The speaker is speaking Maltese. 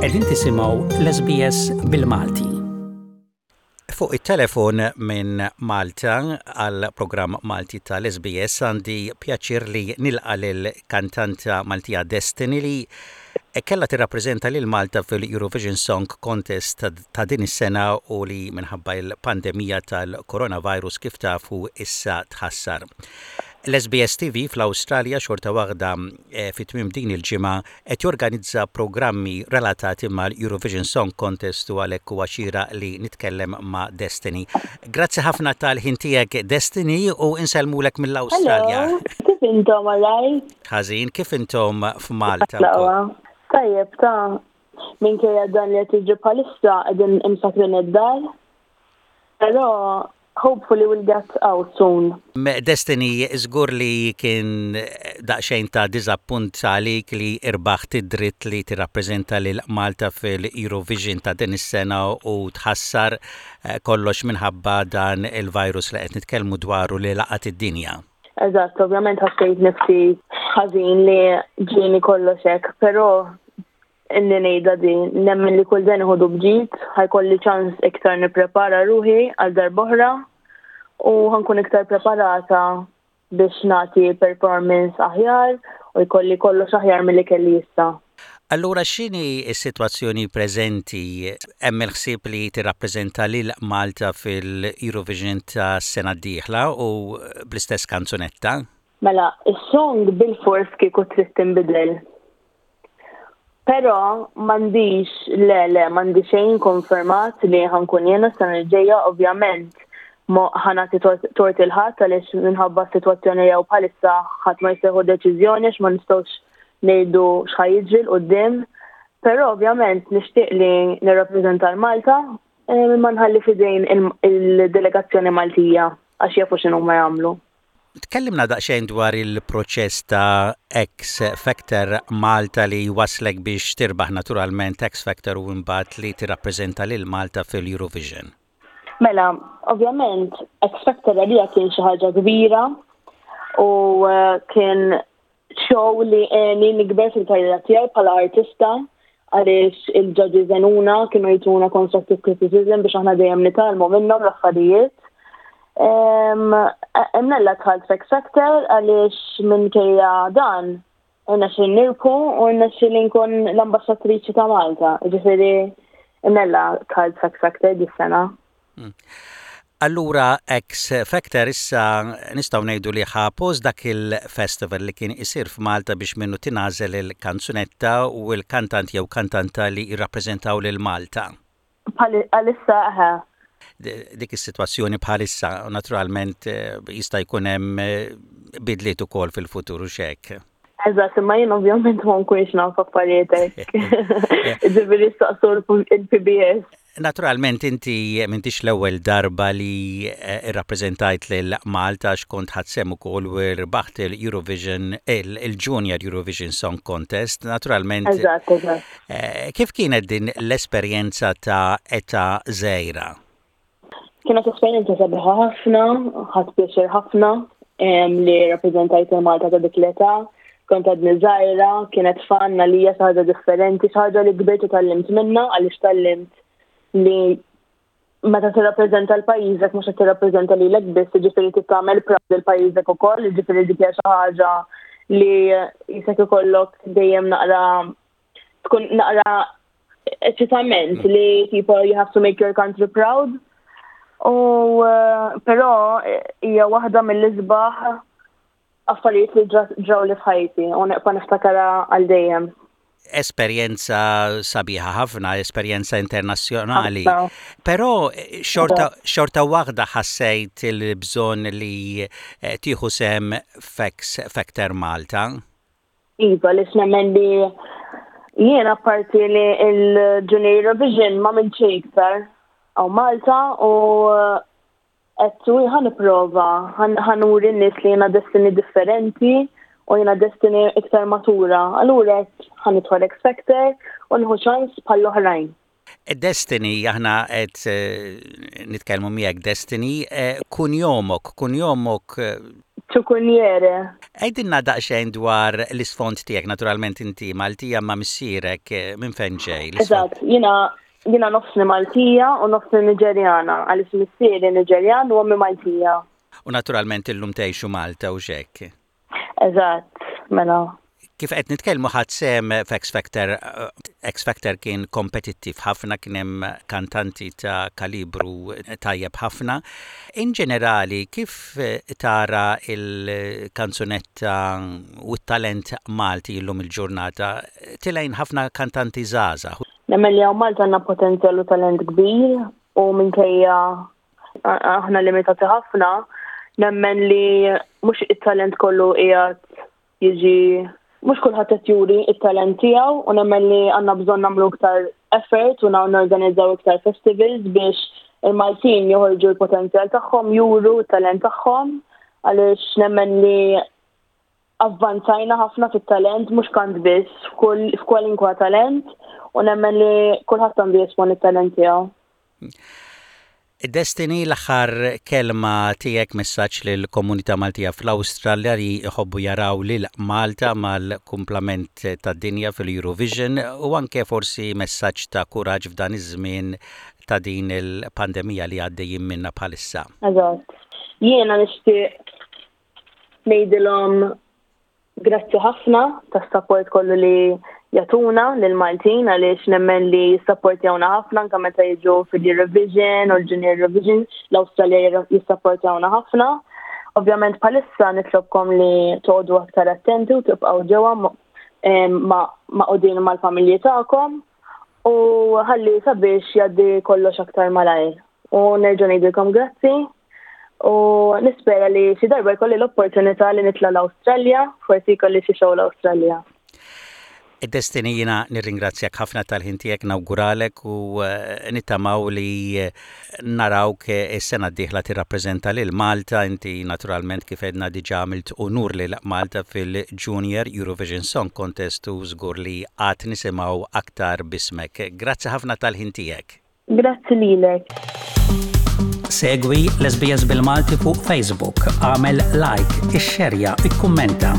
Qegħdin tisimgħu l-SBS bil-Malti. Fuq it-telefon minn Malta għal programm Malti tal-SBS għandi pjaċir li nilqa' lil kantanta Maltija Destiny li kellha tirrappreżenta lil Malta fil-Eurovision Song Contest ta' din is-sena u li minħabba l-pandemija tal-coronavirus kif tafu issa tħassar. L-SBS TV fl-Awstralja xorta waħda eh, fi tmiem din il-ġimgħa qed jorganizza programmi relatati mal-Eurovision Song Contest u għalhekk huwa xieraq li nitkellem ma' Destiny. Grazzi ħafna tal-ħin tiegħek Destiny u insellmulek mill-Awstralja. Hello, kif intom alright? Ħażin, kif intom f'Malta? Tajjeb, ta' minkejja dan li qed jiġri bħalissa qegħdin imsakrin id-dar. Però hopefully we'll get out soon. Destiny, żgur li kien daqsxejn ta' diżappunt għalik li irbaħt id-dritt li tirrappreżenta lil Malta fil-Eurovision ta' din is-sena u tħassar eh, kollox minħabba dan il-virus li qed nitkellmu dwaru li laqat id-dinja. Eżatt, ovvjament ħassejt nifsi ħażin li ġieni kollox hekk, però inni ngħidha din, nemmen li kull dan iħodu bġid, ħajkolli ċans iktar nipprepara ruħi għal darb'oħra u ħankun iktar preparata biex nagħti performance aħjar u jkolli kollox aħjar milli kelli issa. Allura x'inhi s-sitwazzjoni preżenti? Hemm il-ħsieb li tirrappreżenta lil Malta fil-Eurovision tas-sena d-dieħla u bl-istess kanzunetta? Mela, is-song bilfors kieku trid tinbidel. Però m'għandix, le le, m'għandi xejn konfermat li ħa nkun jiena s-sena li ġejja, ovvjament ħa nagħti tort il-ħadd għaliex minħabba s-sitwazzjoni li hawn bħalissa ħadd ma jista' jieħu deċiżjoni għax ma nistgħux ngħidu x'ħa jiġri 'l quddiem. Però ovvjament nixtieq li nirrappreżenta l-Malta eh, imma nħalli f'idejn il-delegazzjoni Maltija għax jafu x'inhuma jagħmlu. Tkellimna daqsxejn dwar il-proċess ta' X Factor Malta li waslek biex tirbaħ naturalment X Factor u imbagħad li tirrappreżenta lil Malta fil-Eurovision. Mela, ovvjament, X Factor għalija kien xi ħaġa kbira u eh, kien show li għeni nikber fil-karriera tiegħi bħala artista għaliex il-judges għenuna kienu jtuna constructive criticism biex aħna dejjem nitgħallmu minnhom l-affarijiet. Imnella dħalt f'X Factor għaliex minkejja dan irnexxieli nirbħu u rnexxieli nkun l-ambaxxatriċi ta' Malta. Ġifieri imnella dħalt f'X Factor dis-sena. Hmm. Allura X Factor issa nistgħu ngħidu li ħa post dak il-festival li kien isir f'Malta biex minnu tingħażel il-kanzunetta u l-kantant jew kantanta li jirrappreżentaw lil Malta. Bħalissa eħe. Dik is-sitwazzjoni bħalissa naturalment eh, jista' jkun hemm eh, bidliet ukoll fil-futur u x'hekk. Eżatt, imma jien ovvjament ma nkunx naf affarijiet hekk. Ġifieri staqsu l-PBS. Naturalment inti m'intix l-ewwel darba li eh, rrappreżentajt lil Malta għax kont ħadt sehem ukoll u rbaħt il-Eurovision il-Junior Eurovision Song Contest. Naturalment. Eżatt, eżatt. Eh, kif kienet din l-esperjenza ta' età żgħira? Kienet esperjenza sabiħa ħafna, ħadt pjaċir ħafna li rappreżentajt il-Malta ta' dik l-età. Kont għadni żgħira, kienet fun għalija xi ħaġa differenti, xi ħaġa li kbirt u tgħallimt minnha għaliex tgħallimt li meta tirrappreżenta l-pajjiżek mhux qed tirrappreżenta lilek biss, jiġifieri trid tagħmel proud lil pajjiżek ukoll, jiġifieri dik hija xi ħaġa li jisek ikollok dejjem naqra tkun naqra eċitament mm. li tipo you have to make your country proud. U eh, però eh, hija waħda mill-isbaħ affarijiet li ġraw li f'ħajti u neqpa' niftakara għal dejjem. Esperjenza sabiħa ħafna, esperjenza internazzjonali. Però eh, xorta, xorta waħda ħassejt il-bżonn li tieħu sem f'X Factor Malta. Iva, għaliex nemmen li jien apparti li l-Junior Eurovision ma minn xejn iktar għaw Malta u qed u ħa nipprova ħa nuri n-nies li jiena destiny differenti u jiena destiny iktar matura. Allura qed ħa nidħol X Factor u nieħu ċans bħall-oħrajn. Destiny, aħna qed eh, nitkellmu miegħek Destiny, eh, kunjomok, kunjomok. Eh, Chukunyere. Għidilna daqsxejn dwar l-isfond tiegħek, naturalment inti Maltija ma missierek minn fejn ġej? Eżatt, jiena jiena nofsni Maltija u nofsni Niġerjana, għaliex missieri Niġerjan u ommi Maltija. U naturalment illum tgħixu Malta u x'hekk. Eżatt, mela. Kif qed nitkellmu ħadt sehem f'X Factor, X Factor kien kompetittiv ħafna, kien hemm kantanti ta' kalibru tajjeb ħafna. In ġenerali, kif tara l-kanzunetta u t-talent Malti llum il-ġurnata? Tilgħin ħafna kantanti żgħażagħ. Nemmen li hawn Malta għandna potenzjal u talent kbir u minkejja aħna limitati ħafna, nemmen li mhux it-talent kollu qiegħed jiġi mhux kulħadd qed juri it-talent tiegħu u nemmen li għandna bżonn nagħmlu iktar effort u norganizzaw iktar festivals biex il-Maltin joħorġu l-potenzjal tagħhom, juru t-talent tagħhom għaliex nemmen li avvanzajna ħafna fit-talent, mhux kant biss, f'kwalinkwa talent u nemmen li kulħadd għandu jesponi t-talent tiegħu. Destiny, l-aħħar kelma tiegħek messaġġ lill-komunità Maltija fl-Awstralja li jħobbu jaraw lil Malta mal-kumplament tad-dinja fil-Eurovision u anke forsi messaġġ ta' kuraġġ f'dan iż-żmien ta' din il-pandemija li għaddejjin minnha bħalissa. Eżatt. Jiena nixtieq ngħidilhom Grazzi ħafna tas-sapport kollu li jagħtuna lill-Maltin għaliex nemmen li jissapportjawna ħafna anke meta jiġu fil-Eurovision u l-Junior Eurovision l-Awstralja jissapportjawna ħafna. Ovvjament bħalissa nitlobkom li toqgħodu aktar attenti u tibqgħu ġewwa maqgħudin mal-familji tagħkom u ħalli sabiex jgħaddi kollox aktar malajr. U nerġa' ngħidilkom grazzi u nispera li xi darba jkolli l-opportunità li nitla' l-Awstralja, forsi jkolli xi show l-Awstralja. Destiny jiena nirringrazzjak ħafna tal-ħin tiegħek nawguralek u eh, nittamaw li eh, narawk eh, is-sena d-dieħla tirrappreżenta lil Malta inti naturalment kif edna diġà għamilt unur lil Malta fil-Junior Eurovision Song Contest u żgur li għad nisimgħu aktar bismek. Grazzi ħafna tal-ħin tiegħek. Grazzi lilek. Segwi l-SBS bil-Malti fuq Facebook, għamel like, ixxerja, ikkummenta.